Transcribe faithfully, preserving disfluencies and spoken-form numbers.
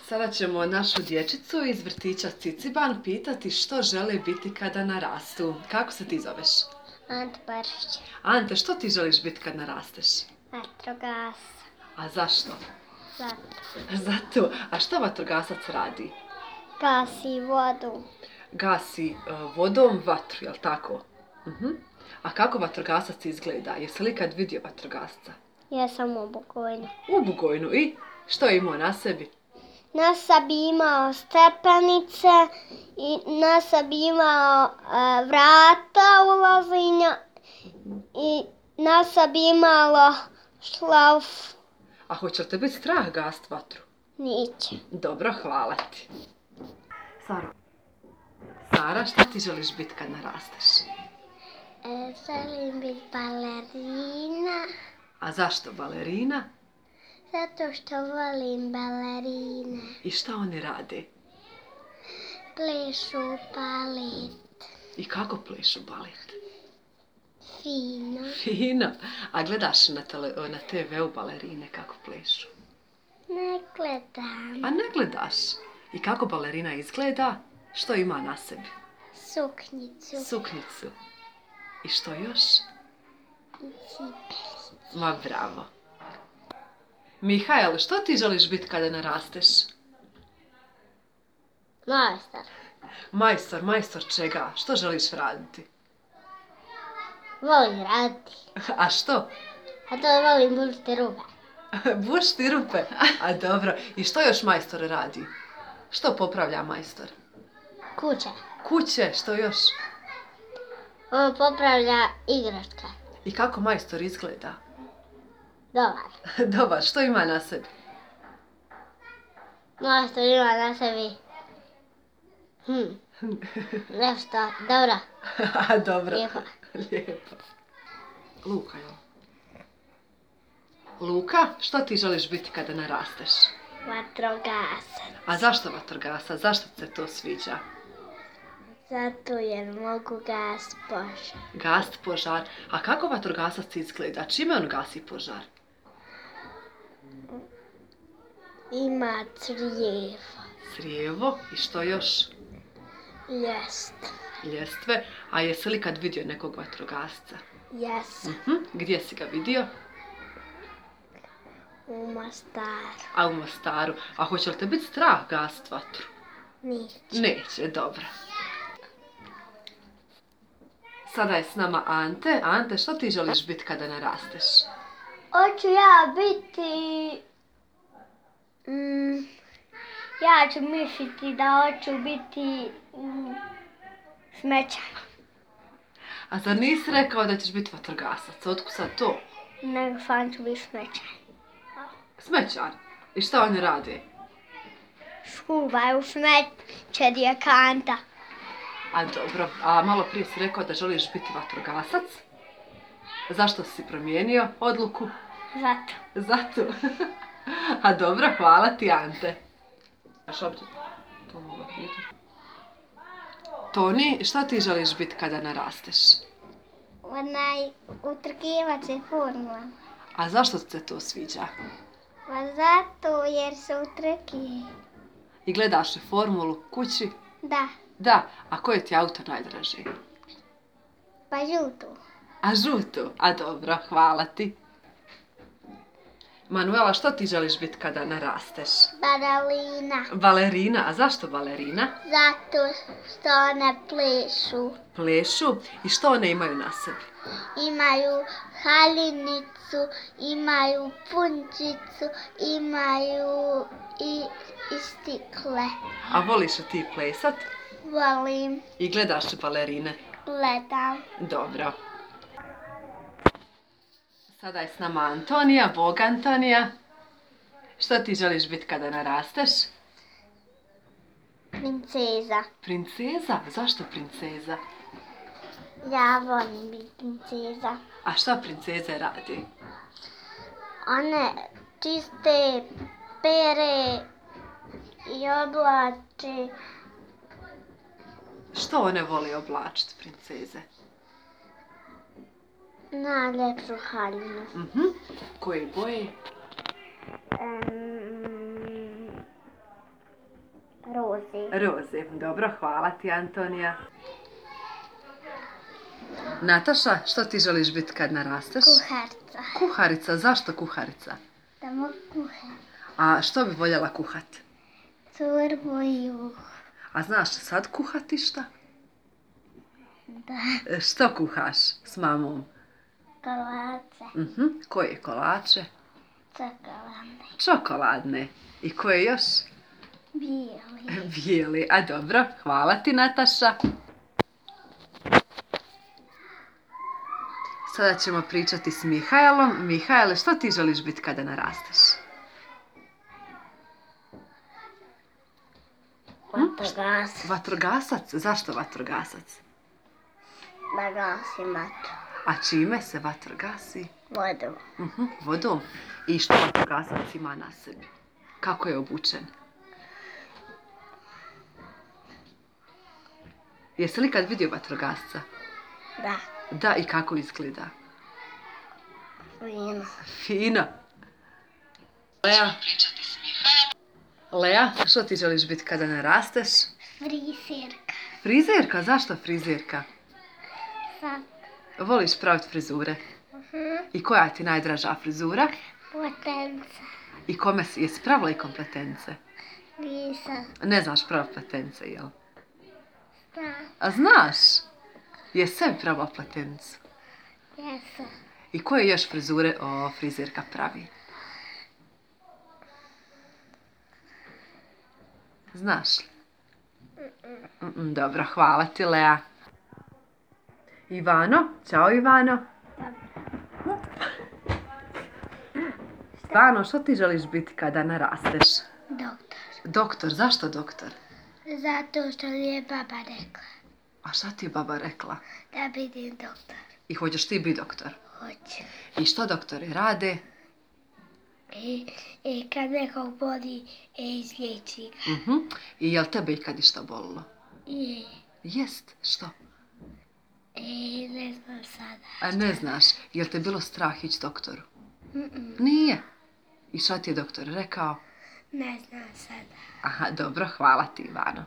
Sada ćemo našu dječicu iz vrtića Ciciban pitati što žele biti kada narastu. Kako se ti zoveš? Ante Barišić. Ante, što ti želiš biti kad narasteš? Vatrogas. A zašto? Zato. Zato. A što vatrogasac radi? Gasi vodu. Gasi uh, vodom vatru, jel tako? Uh-huh. A kako vatrogasac izgleda? Jesi li kad vidio vatrogasca? Ja sam u Bugojnu. U Bugojnu. I što je imao na sebi? Na sebi imao stepenice i na sebi imao e, vrata ulazinja i na sebi imalo šlauf. A hoće li te biti strah gast vatru? Neće. Dobro, hvala ti. Sara. Sara, šta ti želiš biti kad narasteš? E, želim biti balerina. A zašto balerina? Zato što volim balerine. I šta oni rade? Plešu balet. I kako plešu balet? Fino. Fino. A gledaš na, tele, na te ve u balerine kako plešu? Ne gledam. A ne gledaš? I kako balerina izgleda? Što ima na sebi? Suknjicu. Suknjicu. I što još? I cipelicu. Ma bravo. Mihajl, što ti želiš biti kada narasteš? Majstor. Majstor, majstor čega? Što želiš raditi? Volim raditi. A što? A to volim bušiti rupe. Bušti rupe? A dobro. I što još majstor radi? Što popravlja majstor? Kuće. Kuće, što još? On popravlja igračke. I kako majstor izgleda? Dobar. Dobar, što ima na sebi? Majstor ima na sebi. Hm. Nešto. Dobro. A dobro. Lijepo. Lijepo. Luka, jel? Luka, što ti želiš biti kada narasteš? Vatrogasac. A zašto vatrogasac? Zašto ti se to sviđa? Zato jer mogu gas požar. Gast požar. A kako vatrogasac izgleda? Čime on gasi požar? Ima crijevo. Crijevo. I što još? Jest. Ljestve. A jesi li kad vidio nekog vatrogasca? Jes. Uh-huh. Gdje si ga vidio? U Mostaru. A u Mostaru. A hoće li te biti strah gast vatru? Neće. Neće, dobro. Sada je s nama Ante. Ante, što ti želiš biti kada narasteš? Hoću ja biti... Mm, ja ću misliti da hoću biti mm, smećar. A zar nisi rekao da ćeš biti vatrogasac? Otkud sad to? Nego sam ću biti smećar. Smećar. I šta oni rade? Skuvaju smeće gdje kanta. A dobro. A malo prije si rekao da želiš biti vatrogasac? Zašto si promijenio odluku? Zato. Zato. A dobro, hvala ti, Ante. Toni, šta ti želiš biti kada narasteš? Onaj utrkivač je formula. A zašto ti se to sviđa? Pa zato jer se utrki. I gledaš li formulu kući? Da, Da. A koje ti auto najdraži? pa žutu. A žutu? A dobro, hvala ti. Manuela, što ti želiš biti kada narasteš? Balerina. Balerina. A zašto balerina? Zato što one plešu. Plešu. I što one imaju na sebi? Imaju haljinicu, imaju punčicu, imaju i, i stikle. A voliš li ti plesat? Volim, I gledaš li balerine? gledam. Dobro. Sada je s nama Antonija. Bog Antonija. Što ti želiš biti kada narasteš? Princeza. Princeza? Zašto princeza? Ja volim biti princeza. A šta princeze radi? One čiste, pere i oblače. Što one vole oblačiti, princeze? Najljepšu haljinu. Mhm. Koje boje? Um, Roze. Dobro, hvala ti, Antonija. Nataša, što ti želiš biti kad narasteš? Kuharica. Kuharica. Zašto kuharica? Da mogu kuhati. A što bi voljela kuhat? Čorbu i juh. A znaš sad kuhati šta? Da. E, Što kuhaš s mamom? Kolače. Mhm. Koje kolače? Čokoladne. Čokoladne. I koje još? Bijeli. Bijeli. A dobro, hvala ti, Nataša. Sada ćemo pričati s Mihajlom. Mihajle, što ti želiš biti kada narasteš? Vatrogas. Vatrogasac? Zašto vatrogasac? Da gasi vatru. A čime se vatro gasi? Vodu. Mhm, vodom. I što vatrogasac ima na sebi? Kako je obučen? Jesi li kad vidio vatrogasca? Da. Da, i kako izgleda? Vino. Fino. Lea. Lea, što ti želiš biti kada narasteš? Frizerka. Frizerka? Zašto frizerka? Sad. Voliš praviti frizure? Uh-huh. I koja ti najdraža frizura? Potenca. I kome si, jesi pravila i kompletence? Nisam. Ne znaš praviti pletence, jel? Da. A znaš? Jesi sebi pravila pletencu? Jesam. I koje još frizure o, frizerka pravi? Znaš li? Mm-mm, dobro, hvala ti, Lea. Ivano, ćao Ivano. Ivano, što ti želiš biti kada narasteš? Doktor. Doktor, zašto doktor? Zato što je baba rekla A šta ti je baba rekla? da budem doktor. I hoćeš ti biti doktor? Hoće. I što doktori rade? I, i kad nekog boli, e, izliječi ga. Mhm. I jel tebe ikad išta bolilo? I, Jest, što? e, ne znam sada. A ne znaš, jel te bilo strah ići doktoru? Mm-mm. Nije. I šta ti je doktor rekao? Ne znam sada. Aha, dobro, hvala ti Ivano.